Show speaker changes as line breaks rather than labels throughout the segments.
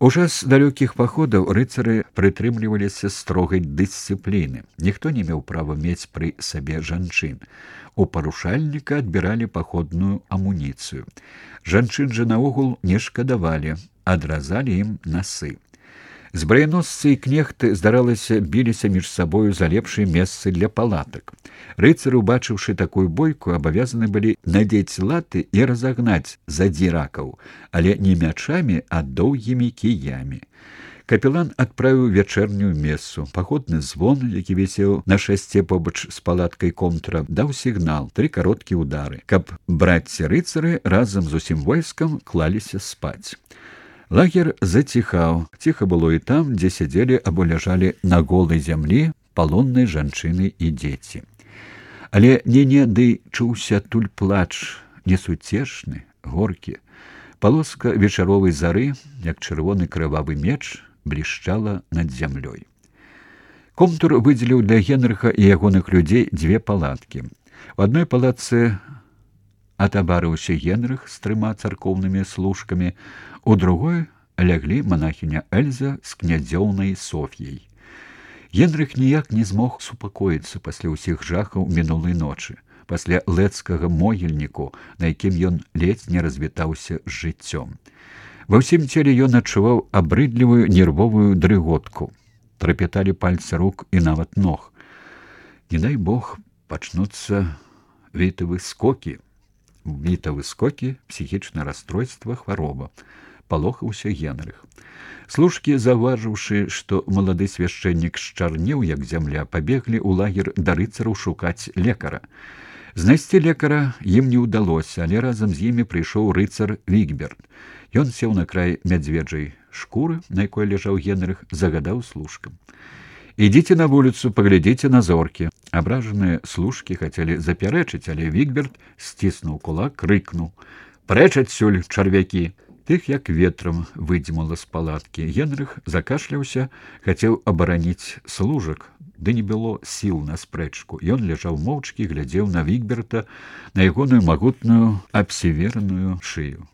У час далёкіх паходаў рыцары прытрымліваліся строгай дысцыпліны. Ніхто не меў права мець пры сабе жанчын. У парушальніка адбіралі паходную амуніцыю. Жанчын жа наогул не шкадавалі, адразалі ім насы. Збраяносцы і кнехты, здаралася, біліся між сабою за лепшыя месцы для палатак. Рыцары, убачыўшы такую бойку, абавязаны былі надзець латы і разагнаць задзіракаў, але не мячамі, а доўгімі кіямі. Капелан адправіў вячэрнюю месу. Паходны звон, які вісеў на шасце побач з палаткай комтра, даў сігнал, 3 кароткія ўдары, каб братцы-рыцары разам з усім войскам клаліся спаць. Лагер заціхаў. Ціха было і там, дзе сядзелі або ляжалі на голай зямлі палонныя жанчыны і дзеці. Але не-не, чуўся туль плач, несуцешны, горкі. Палоска вечаровай зары, як чырвоны крывавы меч, блішчала над зямлёй. Комтур выдзеліў для Генрыха і ягоных людзей 2 палаткі. У адной палатцы атабарыўся Генрых з 3 царкоўнымі служкамі, у другой ляглі манахіня Эльза з князёўнай Соф'яй. Генрых ніяк не змог супакоіцца пасля ўсіх жахаў мінулай ночы, пасля лэцкага могільніку, на якім ён ледзь не развітаўся з жыццём. Ва ўсім целе ён адчуваў абрыдлівую нервовую дрыготку. Трапяталі пальцы рук і нават ног. Не дай Бог, пачнуцца вітавы скокі, псіхічнае расстройства, хвароба. Палохаўся Генрых. Служкі, заўважыўшы, што малады свяшчэннік счарнеў, як зямля, пабеглі ў лагер да рыцараў шукаць лекара. Знайсці лекара ім не ўдалося, але разам з імі прыйшоў рыцар Вігберт. Ён сеў на край мядзведжай шкуры, на якой ляжаў Генрых, загадаў служкам: «Ідзіце на вуліцу, паглядзіце на зоркі». Абражаныя служкі хацелі запярэчыць, але Вігберт сціснуў кулак, крыкнуў: «Прэч адсюль, чарвякі!» Тых як ветрам выдзьмула з палаткі. Генрых закашляўся, хацеў абараніць служак, ды не было сіл на спрэчку. Ён ляжаў моўчкі, глядзеў на Вігберта, на ягоную магутную абсівераную шыю.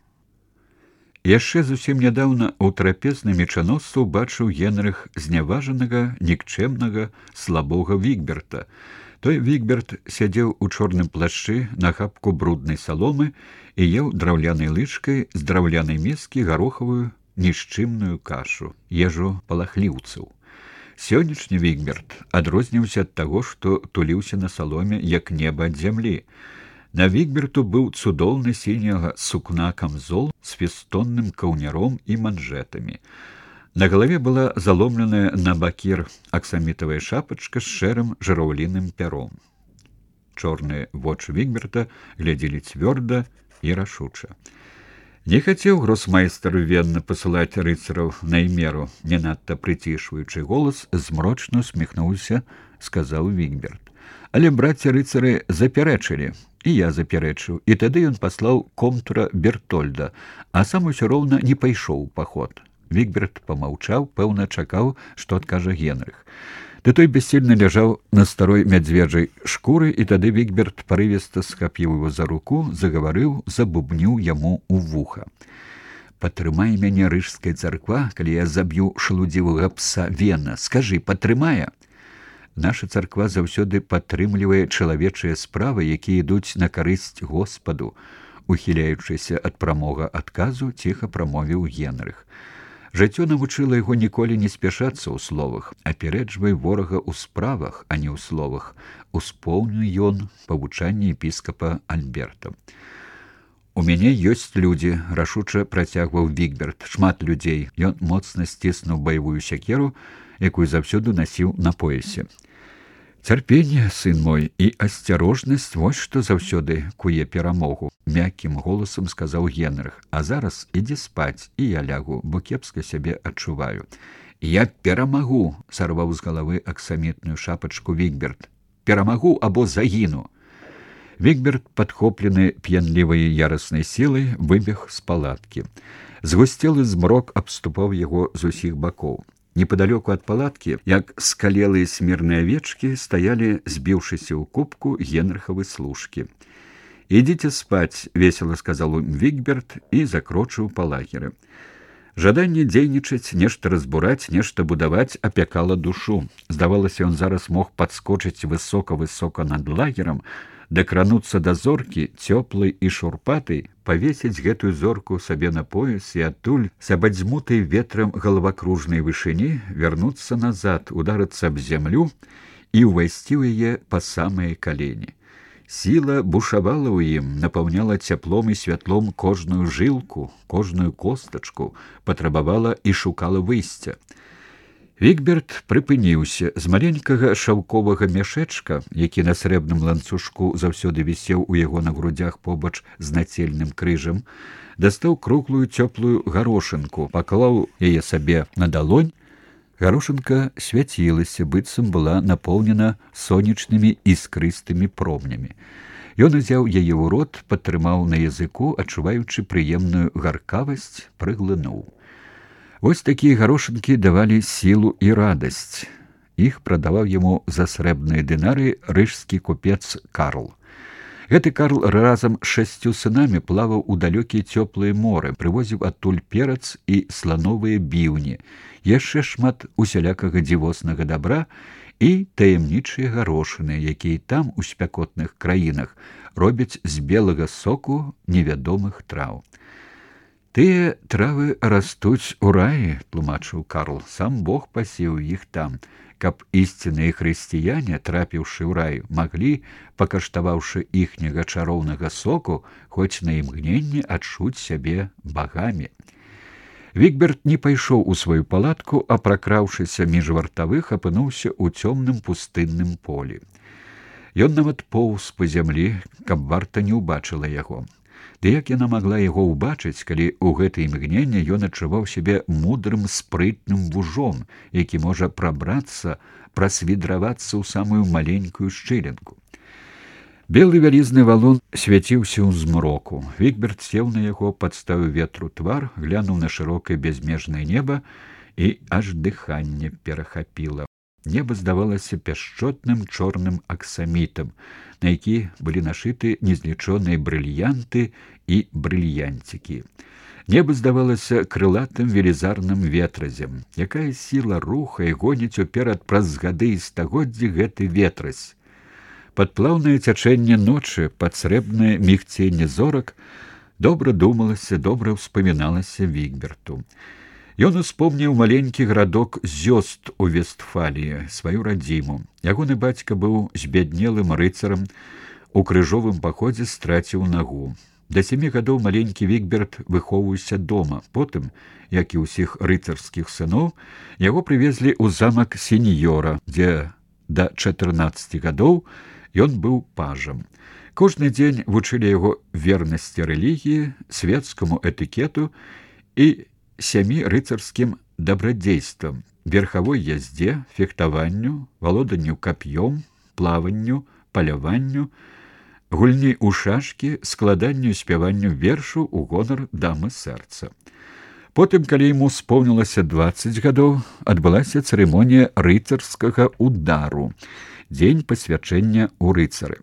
Яшчэ зусім нядаўна ў трапезнай мечаносцы ўбачыў Генрых зняважанага, нікчэмнага, слабога Вігберта. Той Вігберт сядзеў у чорным плашчы на хапку бруднай саломы і еў драўлянай лычкай з драўлянай міскі гарохавую нішчымную кашу, ежу палахліўцаў. Сённяшні Вігберт адрозніваўся ад таго, што туліўся на саломе, як неба ад зямлі. На Вігберту быў цудоўны сіняга сукна камзол з фестонным каўняром і манжэтамі. На галаве была заломленая на бакір аксамітавая шапачка з шэрым жыраўліным пяром. Чорныя вочы Вігберта глядзелі цвёрда і рашуча. Не хацеў гросмайстар венна пасылаць рыцараў на імеру, не надта прыцішваючы голас, змрочна усміхнуўся, сказаў Вігберт. Але браці-рыцары запярэчылі, і я запярэчыў, і тады ён паслаў комтура Бертольда, а сам усё роўна не пайшоў у паход. Вігберт памаўчаў, пэўна чакаў, што адкажа Генрых. Ды той бессільна ляжаў на старой мядзведжай шкуры, і тады Вігберт парывіста схапіў его за руку, загаварыў, забубніў яму ў вуха: «Патрымай мяне, рыжская царква, калі я заб'ю шалудзівага пса Вена. Скажы, патрымае?» Наша царква заўсёды падтрымлівае чалавечыя справы, якія ідуць на карысць Господу, ухіляючыся ад прамога адказу, ціха прамовіў Генрых. Жыццё навучыла яго ніколі не спяшацца ў словах. «Апярэджвай ворага ў справах, а не ў словах», успомніў ён павучанне епіскапа Альберта. «У мяне ёсць людзі», — рашуча працягваў Вігберт. «Шмат людзей». Ён моцна сціснуў баявую сякеру, якую заўсёды насіў на поясе. «Цярпенне, сын мой, і асцярожнасць — вось што заўсёды куе перамогу», — мяккім голасам сказаў Генрых. «А зараз ідзі спаць, і я лягу, бо кепска сябе адчуваю». «Я перамагу», — сарваў з галавы аксамітную шапачку Вігберт. «Перамагу або загіну». Вігберт, падхоплены п'янлівай яраснай сілай, выбег з палаткі. Згусцелы змрок абступаў яго з усіх бакоў. Непадалёку ад палаткі, як скалелыя смірныя авечкі, стаялі, збіўшыся ў купку, Генрыхавы служкі. «Ідзіце спаць», — весела сказаў Вігберт і закрочыў па лагеры. Жаданне дзейнічаць, нешта разбураць, нешта будаваць апякала душу. Здавалася, ён зараз мог падскочыць высока-высока над лагерам, дакрануцца да зоркі, цёплай і шурпатай, павесіць гэтую зорку сабе на пояс і адтуль, з абадзьмутай ветрам галавакружнай вышыні, вярнуцца назад, ударыцца аб зямлю і ўвайсці ў яе па самыя калені. Сіла бушавала ў ім, напаўняла цяплом і святлом кожную жылку, кожную костачку, патрабавала і шукала выйсця. Вігберт прыпыніўся. З маленькага шаўковага мяшэчка, які на срэбным ланцужку заўсёды вісеў у яго на грудях побач з нацельным крыжам, дастаў круглую цёплую гарошынку, паклаў яе сабе на далонь. Гарошынка свяцілася, быццам была напоўнена сонечнымі іскрыстымі промнямі. Ён узяў яе ў рот, падтрымаў на языку, адчуваючы прыемную гаркавасць, прыглынуў. Вось такія гарошынкі давалі сілу і радасць. Іх прадаваў яму за срэбныя дынары рыжскі купец Карл. Гэты Карл разам з 6 сынамі плаваў у далёкія цёплыя моры, прывозіў адтуль перац і слановыя біўні, яшчэ шмат усялякага дзівоснага дабра і таямнічыя гарошыны, якія там, у спякотных краінах, робяць з белага соку невядомых траў. «Тыя травы растуць у раі», – тлумачыў Карл, – «сам Бог пасеў іх там, каб ісцінныя хрысціяне, трапіўшы ў рай, маглі, пакаштаваўшы іхняга чароўнага соку, хоць на імгненне адчуць сябе багамі». Вігберт не пайшоў у сваю палатку, а, пракраўшыся між вартавых, апынуўся ў цёмным пустынным полі. Ён нават поўз па зямлі, каб варта не ўбачыла яго. Ды як яна магла яго ўбачыць, калі ў гэтае імгненне ён адчуваў сябе мудрым, спрытным вужом, які можа прабрацца, прасвідравацца ў самую маленькую шчылінку. Белы вялізны валун свяціўся ў змроку. Вігберт сеў на яго, падставіў ветру твар, глянуў на шырокае бязмежнае неба, і аж дыханне перахапіла. Неба здавалася пяшчотным чорным аксамітам, на які былі нашыты незлічоныя брыльянты і брыльянцікі. Неба здавалася крылатым велізарным ветразем. Якая сіла рухае, гоніць уперад праз гады і стагоддзі гэты ветразь. Пад плаўнае цячэнне ночы, пад срэбнае мігценне зорак, добра думалася, добра ўспаміналася Вігберту. Ён успомніў маленькі гарадок Зёст у Вестфаліі, сваю радзіму. Ягоны бацька быў збяднелым рыцарам, у крыжовым паходзе страціў нагу. Да 7 гадоў маленькі Вігберт выхоўваўся дома. Потым, як і ўсіх рыцарскіх сыноў, яго прывезлі ў замак сеньёра, дзе да 14 гадоў ён быў пажам. Кожны дзень вучылі яго вернасці рэлігіі, свецкаму этыкету і 7 рыцарскім дабрадзействам, верхавой яздзе, фехтаванню, валоданню кап'ём, плаванню, паляванню, гульні ў шашкі, складанню і спяванню вершу ў гонар дамы сэрца. Потым, калі яму споўнілася 20 гадоў, адбылася цырымонія рыцарскага удару, дзень пасвячэння ў рыцары.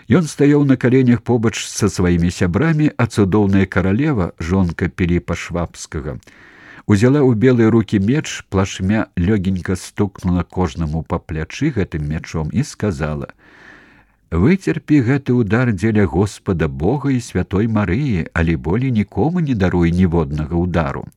Ён стаяў на каленях побач са сваімі сябрамі, а цудоўная каралева, жонка Піліпа Швабскага, узяла ў белыя рукі меч, плашмя лёгенька стукнула кожнаму па плячы гэтым мячом і сказала: «Выцерпі гэты удар дзеля Господа Бога і святой Марыі, але болей нікому не даруй ніводнага удару».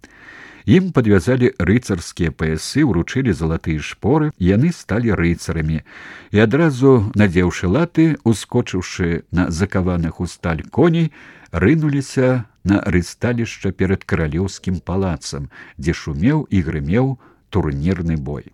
Ім падвязалі рыцарскія паясы, уручылі залатыя шпоры, яны сталі рыцарамі. І адразу, надзеўшы латы, ускочыўшы на закаваных у сталь коней, рынуліся на рысталішча перад каралеўскім палацам, дзе шумеў і грымеў турнірны бой.